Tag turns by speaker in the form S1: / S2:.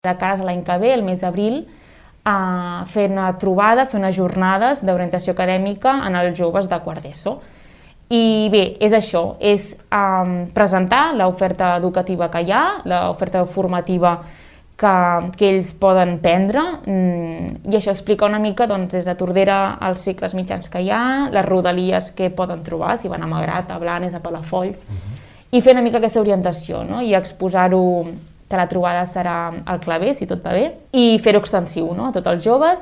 S1: De casa l'any que ve, el mes d'abril, a fer una trobada, fer unes jornades d'orientació acadèmica en els joves de quart d'ESO. I bé, és això, és presentar l'oferta educativa que hi ha, l'oferta formativa que ells poden prendre, i això explica una mica des de Tordera els cicles mitjans que hi ha, les rodalies que poden trobar, si van a Malgrat, a Blanes, a Palafolls, i fer una mica aquesta orientació, no? I exposar-ho, que la trobada serà al Claver, si tot va bé, i fer-ho extensiu, no? A tots els joves.